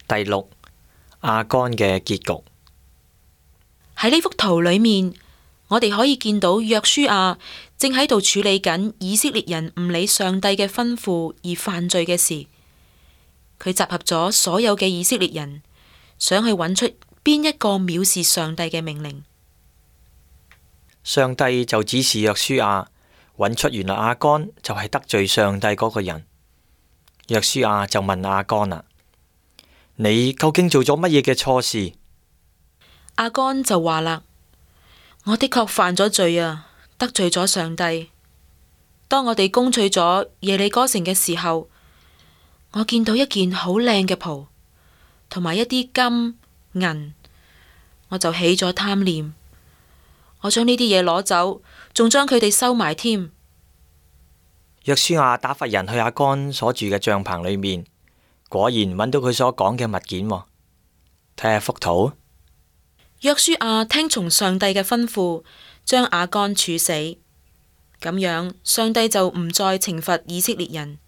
第六，亞干嘅結局。喺呢幅圖裏面，我哋可以見到約書亞正喺度處理緊以色列人唔理上帝嘅吩咐而犯罪嘅事。佢集合咗所有嘅以色列人，想去揾出邊一個藐視上帝嘅命令。上帝就指示約書亞揾出原來亞干就係得罪上帝嗰個人。約書亞就問亞干啦：你究竟做咗乜嘢嘅錯事？亞干就話啦：我的確犯咗罪啊，得罪咗上帝。當我哋攻取咗耶利哥城嘅時候，我見到一件好靚嘅袍，同埋一啲金銀，我就起咗貪念。我將呢啲嘢攞走，仲將佢哋收埋添。約書亞打發人去亞干所住嘅帳篷裏面，果然揾到佢所講嘅物件喎。睇下幅圖。約書亞聽從上帝嘅吩咐，將亞干處死。咁樣，上帝就唔再懲罰以色列人。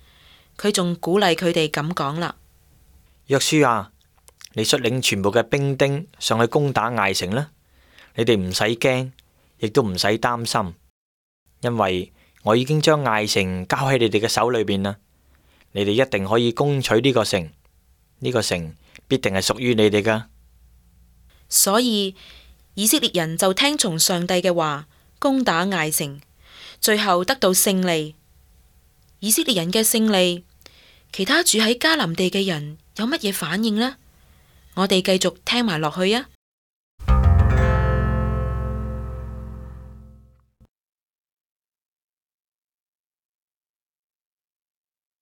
佢仲鼓勵佢哋咁講啦：約書亞，你率領全部嘅兵丁上去攻打艾城啦！你哋唔使驚，亦都唔使擔心，因為我已經將艾城交喺你哋嘅手裏邊啦。你哋一定可以攻取呢個城，呢個城必定係屬於你哋噶。所以以色列人就聽從上帝嘅話，攻打艾城，最後得到勝利。以色列人嘅勝利，其他住喺迦南地嘅人有乜嘢反應呢？我哋繼續聽埋落去啊！